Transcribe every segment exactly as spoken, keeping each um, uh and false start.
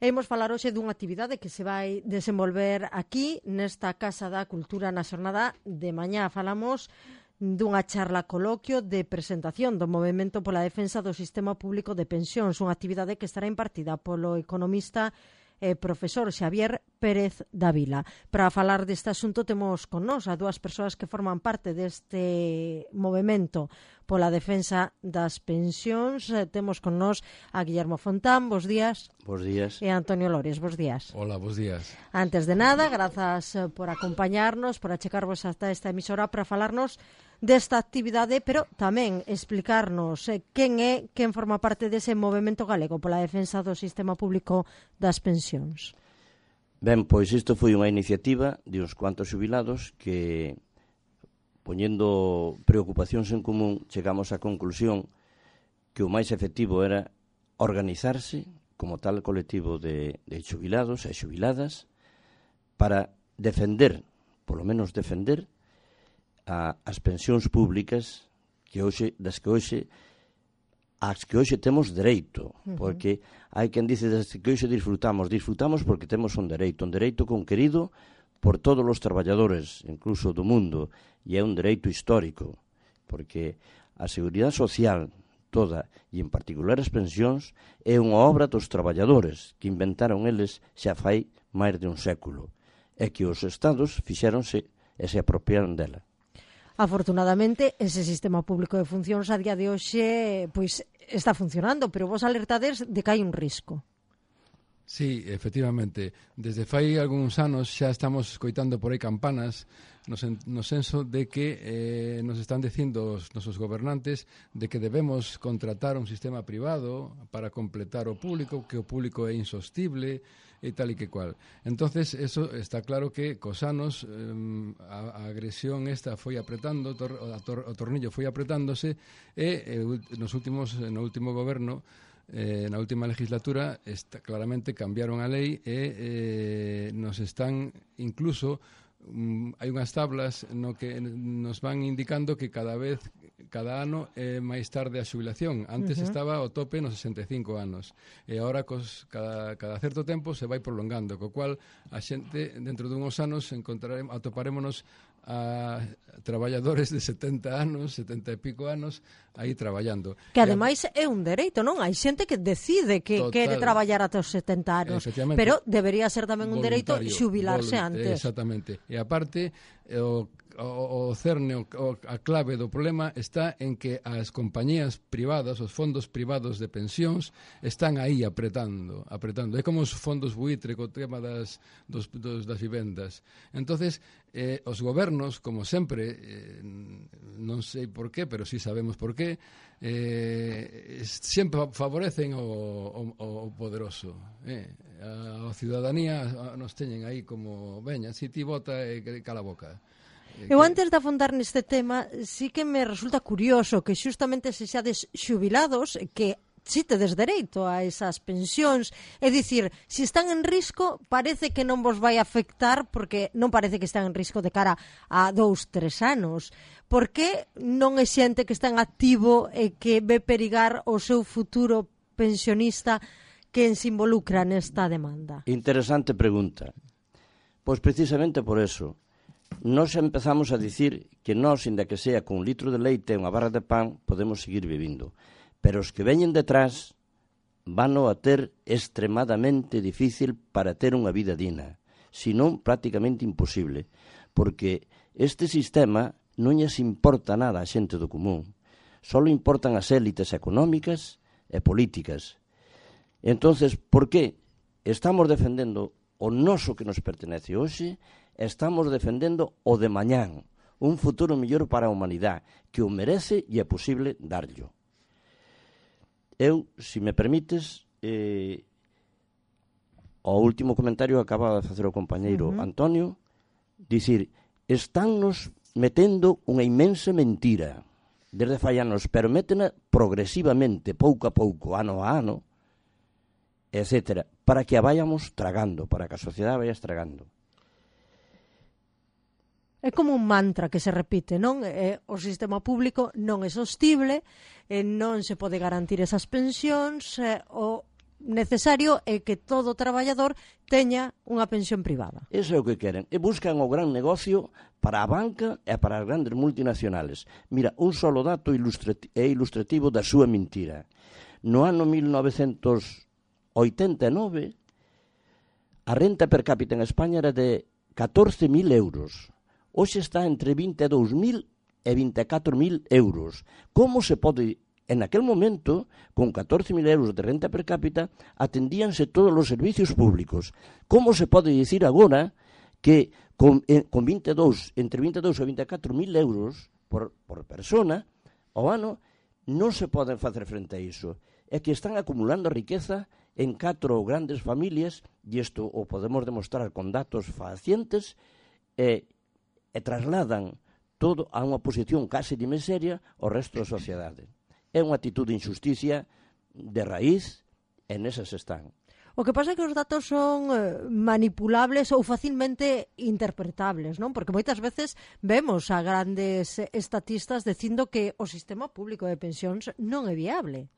E imos falar hoxe dunha actividade que se vai desenvolver aquí nesta Casa da Cultura na xornada de mañá. Falamos dunha charla coloquio de presentación do Movemento pola Defensa do Sistema Público de Pensións, unha actividade que estará impartida polo economista e profesor Xavier Pérez Dávila. Para falar deste asunto temos con nós a dúas persoas que forman parte deste movemento pola defensa das pensións. Temos con nós a Guillermo Fontán, bos días. Bos días. E a Antonio Lores, bos días. Hola, bos días. Antes de nada, grazas por acompañarnos, por achecarvos hasta esta emisora para falarnos desta actividade, pero tamén explicarnos eh, quen é, quen forma parte dese movemento galego pola defensa do sistema público das pensións. Ben, pois isto foi unha iniciativa de uns cuantos xubilados que, poñendo preocupacións en común, chegamos á conclusión que o máis efectivo era organizarse como tal colectivo de, de xubilados e xubiladas para defender, polo menos defender, a, as pensións públicas que hoxe, das que hoxe as que hoxe temos dereito, uh-huh. porque hai quen dice das que hoxe disfrutamos, disfrutamos porque temos un dereito, un dereito conquerido por todos os traballadores, incluso do mundo, e é un dereito histórico, porque a seguridade social toda, e en particular as pensións, é unha obra dos traballadores que inventaron eles xa fai máis de un século, e que os estados fixéronse e se apropiaron dela. Afortunadamente, ese sistema público de funcións a día de hoxe pois está funcionando, pero vos alertades de que hai un risco. Sí, efectivamente. Desde fai algúns anos xa estamos coitando por aí campanas no, sen, no senso de que eh, nos están dicindo os nosos gobernantes de que debemos contratar un sistema privado para completar o público, que o público é insostible e tal e que cual. Entonces, eso está claro que cos anos eh, a, a agresión esta foi apretando, tor, a tor, o tornillo foi apretándose e eh, nos últimos, no último goberno, eh, na última legislatura, está, claramente cambiaron a lei e eh, nos están incluso um, hai unhas tablas no que nos van indicando que cada vez cada ano é máis tarde a xubilación. Antes uh-huh. estaba ao tope nos sesenta e cinco anos. E agora, cos, cada, cada certo tempo, se vai prolongando, co cual a xente, dentro dunhos anos, encontraremos, atoparémonos a traballadores de setenta anos, setenta e pico anos, aí traballando. Que ademais é un dereito, non? Hai xente que decide que Total, quere traballar ata os setenta anos, pero debería ser tamén un dereito xubilarse antes. Exactamente. E aparte, o O, o cerne, o, a clave do problema está en que as compañías privadas, os fondos privados de pensións están aí apretando, apretando. É como os fondos buitre co tema das, dos, dos, das vivendas. Entonces, eh, os gobernos, como sempre, eh, non sei por qué, pero sí sabemos por qué, eh, sempre favorecen o, o, o poderoso. Eh. A, a ciudadanía a, nos teñen aí como, veña, si ti vota e eh, cala a boca. Eu antes de afondar neste tema, sí que me resulta curioso que xustamente se xades xubilados que si tedes dereito a esas pensións, é dicir, se están en risco, parece que non vos vai afectar porque non parece que están en risco de cara a dous, tres anos. Por que non é xente que está en activo e que ve perigar o seu futuro pensionista quen se involucra nesta demanda? Interesante pregunta. Pois precisamente por eso. Nos empezamos a dicir que nós, inda que sea con un litro de leite e unha barra de pan, podemos seguir vivindo. Pero os que veñen detrás vano a ter extremadamente difícil para ter unha vida digna, senón prácticamente imposible, porque este sistema non lles importa nada a xente do común, só importan as élites económicas e políticas. Entonces, por que estamos defendendo o noso que nos pertenece hoxe? Estamos defendendo o de mañán, un futuro mellor para a humanidade, que o merece e é posible darllo. Eu, se me permites, eh, o último comentario que acaba de facer o compañeiro uh-huh. Antonio, dicir, estánnos metendo unha inmensa mentira desde fai anos, pero métena progresivamente, pouco a pouco, ano a ano, etcétera, para que a vayamos tragando, para que a sociedade vaya estragando. É como un mantra que se repite, non? Eh, o sistema público non é sostible, eh, non se pode garantir esas pensións, eh, o necesario é que todo traballador teña unha pensión privada. Eso é o que queren. E buscan o gran negocio para a banca e para as grandes multinacionales. Mira, un solo dato ilustrati- é ilustrativo da súa mentira. No ano mil novecentos oitenta e nove, a renta per cápita en España era de catorce mil euros. Hoxe está entre vinte e dous mil e vinte e catro mil euros. Como se pode... En aquel momento, con catorce mil euros de renta per cápita, atendíanse todos os servicios públicos. Como se pode dicir agora que con, eh, con vinte e dous, entre vinte e dous e vinte e catro mil euros por, por persona ao ano non se poden facer frente a iso? É que están acumulando riqueza en catro grandes familias, e isto o podemos demostrar con datos facientes, e, e trasladan todo a unha posición case de miseria ao resto da sociedade. É unha actitud de injusticia de raíz, e nesas están. O que pasa é que os datos son eh, manipulables ou facilmente interpretables, non? Porque moitas veces vemos a grandes estatistas dicindo que o sistema público de pensións non é viable.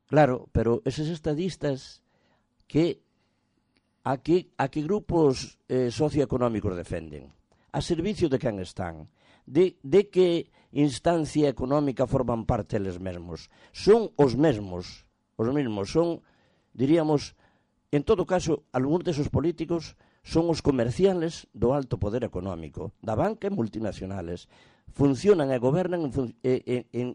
Claro, pero eses estadistas que a que, a que grupos eh, socioeconómicos defenden? A servicio de quen están? De, de que instancia económica forman parte eles mesmos? Son os mesmos, os mesmos, son, diríamos, en todo caso, algúns desos políticos son os comerciales do alto poder económico, da banca e multinacionales. Funcionan e gobernan en, en, en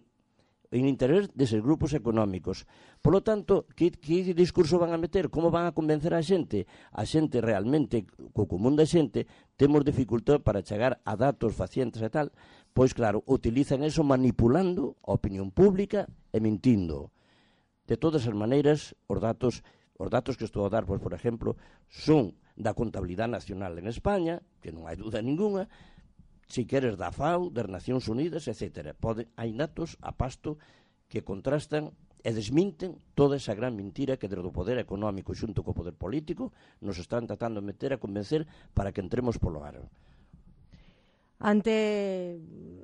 en interés deses grupos económicos. Por lo tanto, que, que discurso van a meter? Como van a convencer a xente? A xente realmente, co común da xente, temos dificultad para chegar a datos facientes e tal, pois claro, utilizan eso manipulando a opinión pública e mentindo. De todas as maneiras, os datos, os datos que estou a dar, pois, por exemplo, son da contabilidade nacional en España, que non hai dúda ninguna, si queres da FAO, das Nacións Unidas, etcétera. Pode, hai datos a pasto que contrastan e desminten toda esa gran mentira que desde o poder económico xunto co poder político nos están tratando de meter a convencer para que entremos polo aro. Ante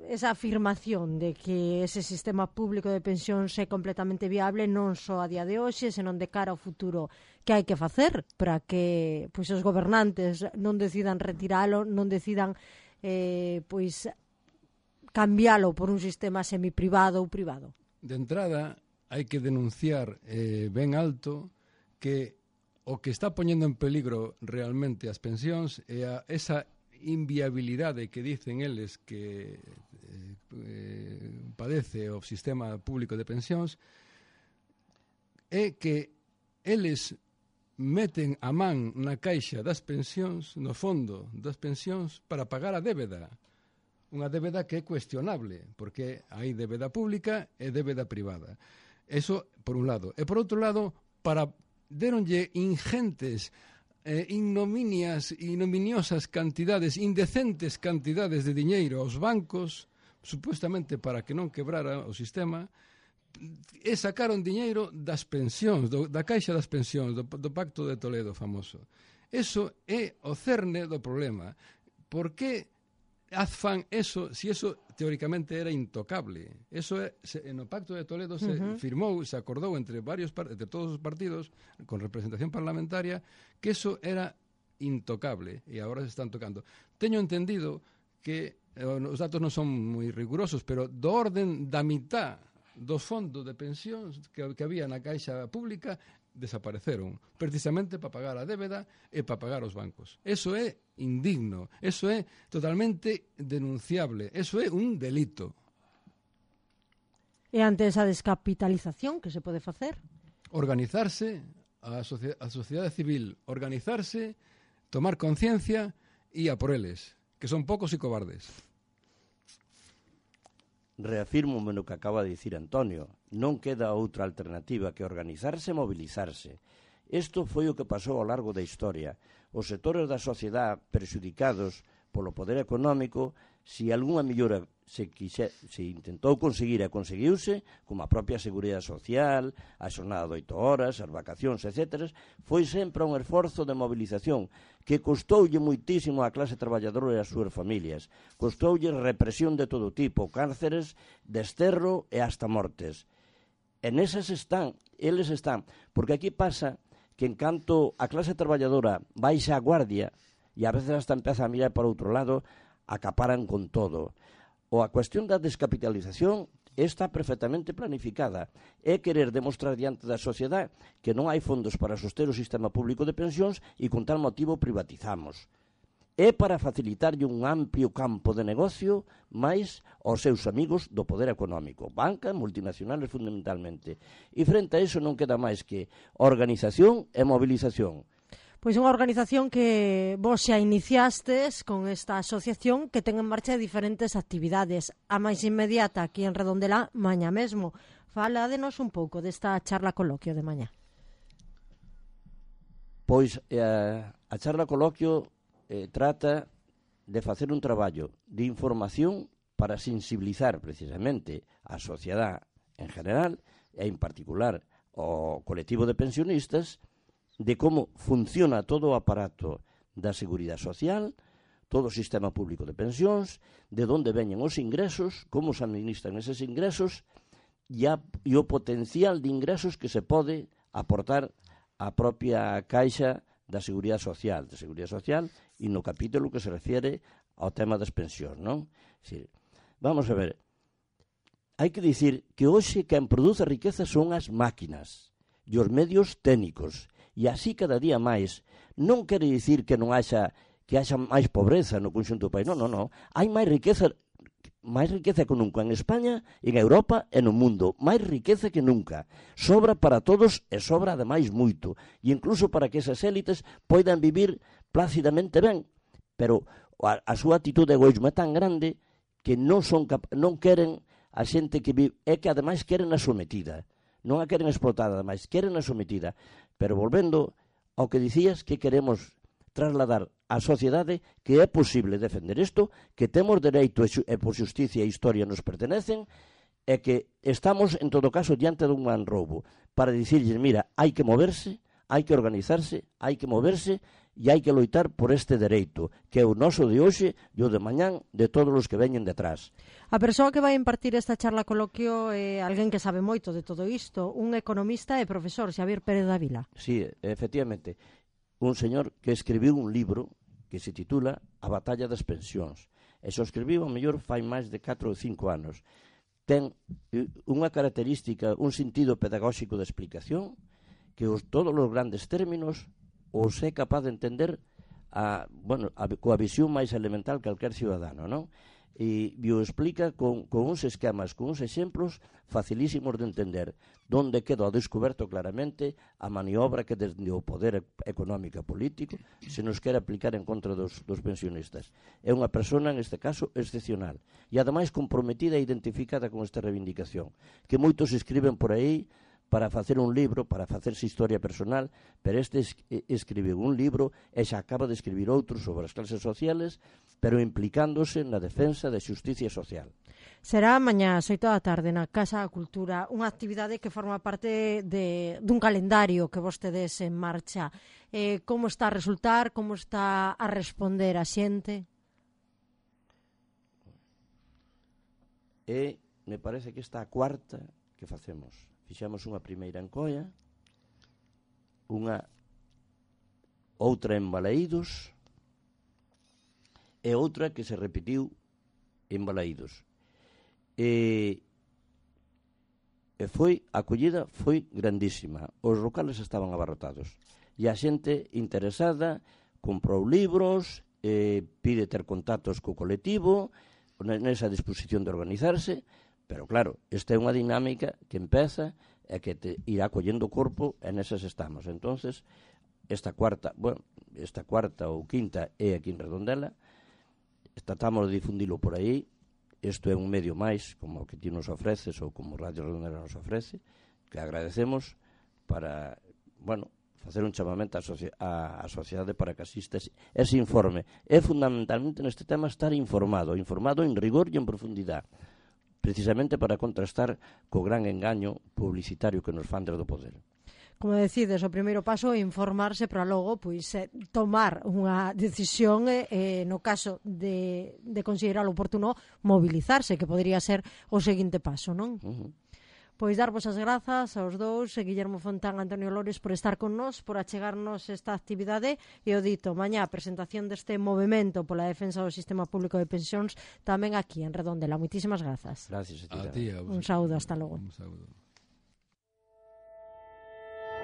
esa afirmación de que ese sistema público de pensións é completamente viable non só a día de hoxe, senón de cara ao futuro, que hai que facer para que pois, os gobernantes non decidan retiralo, non decidan Eh, pois cambiálo por un sistema semiprivado ou privado? De entrada, hai que denunciar eh, ben alto que o que está poñendo en peligro realmente as pensións é a, esa inviabilidade que dicen eles que eh, eh, padece o sistema público de pensións, é que eles meten a man na caixa das pensións, no fondo das pensións, para pagar a débeda. Unha débeda que é cuestionable, porque hai débeda pública e débeda privada. Eso, por un lado. E, por outro lado, para deronlle ingentes, eh, ignominias, ignominiosas cantidades, indecentes cantidades de diñeiro aos bancos, supuestamente para que non quebrara o sistema, e sacaron diñeiro das pensións, do, da caixa das pensións, do, do Pacto de Toledo famoso. Eso é o cerne do problema. Por que fan eso, si eso teóricamente era intocable? Eso é, se, no Pacto de Toledo se uh-huh. firmou, se acordou entre varios entre todos os partidos con representación parlamentaria que eso era intocable e agora se están tocando. Teño entendido que eh, os datos non son moi rigurosos, pero do orden da mitad dos fondos de pensións que, que había na caixa pública desapareceron, precisamente para pagar a débeda e para pagar os bancos. Eso é indigno, eso é totalmente denunciable, eso é un delito. E ante esa descapitalización, que se pode facer? Organizarse, a, socia- a sociedade civil, organizarse, tomar conciencia e a por eles, que son pocos e cobardes. Reafirmo no que acaba de dicir Antonio, non queda outra alternativa que organizarse e mobilizarse. Isto foi o que pasou ao largo da historia. Os sectores da sociedade perxudicados polo poder económico, se algunha mellora se, quixe, se intentou conseguir e conseguiuse, como a propia seguridade social, a xornada de oito horas, as vacacións, etcétera, foi sempre un esforzo de movilización que costoulle moitísimo á clase traballadora e ás súas familias. Costoulle represión de todo tipo, cárceres, desterro e hasta mortes. E nesas están, eles están, porque aquí pasa que en canto a clase traballadora baixa a guardia e a veces hasta empeza a mirar para outro lado, acaparan con todo. O a cuestión da descapitalización está perfectamente planificada. É querer demostrar diante da sociedade que non hai fondos para soster o sistema público de pensións e con tal motivo privatizamos. É para facilitarlle un amplio campo de negocio máis aos seus amigos do poder económico, banca, multinacionales fundamentalmente. E frente a iso non queda máis que organización e movilización. Pois unha organización que vos xa iniciastes con esta asociación que ten en marcha diferentes actividades. A máis inmediata aquí en Redondela, mañá mesmo. Faládenos un pouco desta charla coloquio de mañá. Pois eh, a charla coloquio eh, trata de facer un traballo de información para sensibilizar precisamente a sociedade en general e en particular o colectivo de pensionistas de como funciona todo o aparato da Seguridade Social, todo o sistema público de pensións, de onde veñen os ingresos, como se administran eses ingresos e, a, e o potencial de ingresos que se pode aportar á propia caixa da Seguridade Social, da Seguridade Social e no capítulo que se refiere ao tema das pensións, non? Sí. Vamos a ver, hai que dicir que hoxe quen produce riqueza son as máquinas e os medios técnicos. E así cada día máis. Non quere dicir que non haxa que haxa máis pobreza no conxunto do país. Non, non, non. Hai máis riqueza máis riqueza que nunca en España, en Europa e no mundo. Máis riqueza que nunca. Sobra para todos e sobra ademais moito. E incluso para que esas élites poidan vivir plácidamente ben. Pero a, a súa actitude de egoísmo é tan grande que non son cap- non queren a xente que vive, é que ademais queren a sometida. Non a queren explotada, ademais queren a sometida. Pero volvendo ao que dicías, que queremos trasladar á sociedade que é posible defender isto, que temos dereito e por xusticia e historia nos pertenecen, e que estamos, en todo caso, diante dun gran roubo, para dicirles, mira, hai que moverse, hai que organizarse, hai que moverse, e hai que loitar por este dereito, que é o noso de hoxe e o de mañán de todos os que veñen detrás. A persoa que vai impartir esta charla coloquio é alguén que sabe moito de todo isto, un economista e profesor, Xavier Pérez Dávila. Sí, efectivamente, un señor que escribiu un libro que se titula A batalla das pensións. E xo escribiu, a mellor, fai máis de catro ou cinco anos. Ten unha característica, un sentido pedagóxico de explicación, que os, todos os grandes términos os é capaz de entender a, bueno, a, coa visión máis elemental que calquer ciudadano, non? E, e o explica con, con uns esquemas, con uns exemplos facilísimos de entender, donde queda ao descoberto claramente a maniobra que desde o poder económico e político se nos quere aplicar en contra dos, dos pensionistas. É unha persona, neste caso, excepcional e ademais comprometida e identificada con esta reivindicación, que moitos escriben por aí para facer un libro, para facerse historia personal, pero este es, escribiu un libro e xa acaba de escribir outro sobre as clases sociales, pero implicándose na defensa da xusticia social. Será mañá ás oito da tarde na Casa da Cultura, unha actividade que forma parte de, dun calendario que vostedes en marcha. Eh, como está a resultar, como está a responder a xente? E me parece que esta a cuarta que facemos. Fixemos unha primeira en Coia, unha outra en Balaídos e outra que se repetiu en Balaídos. E, e foi, a acollida foi grandísima. Os locales estaban abarrotados. E a xente interesada comprou libros, e pide ter contactos co colectivo, nesa disposición de organizarse. Pero claro, esta é unha dinámica que empeza e que te irá collendo corpo e nesas estamos. Entonces, esta cuarta, bueno, esta cuarta ou quinta é aquí en Redondela, tratamos de difundilo por aí, isto é un medio máis, como o que ti nos ofreces ou como Radio Redondela nos ofrece, que agradecemos para, bueno, facer un chamamento á, socia- á, á sociedade para que asista ese informe. É fundamentalmente neste tema estar informado, informado en rigor e en profundidade, precisamente para contrastar co gran engaño publicitario que nos fan desde o poder. Como decides, o primeiro paso é informarse para logo pois, eh, tomar unha decisión e, eh, no caso de, de considerar oportuno, mobilizarse, que podría ser o seguinte paso, non? Uh-huh. Pois darvos as grazas aos dous, Guillermo Fontán, Antonio Lores, por estar con nós, por achegarnos esta actividade, e o dito, mañá a presentación deste movemento pola defensa do sistema público de pensións tamén aquí en Redondela. Moitísimas grazas. Gracias a ti. A ti, a vos. Un saúdo, hasta logo. Un saúdo.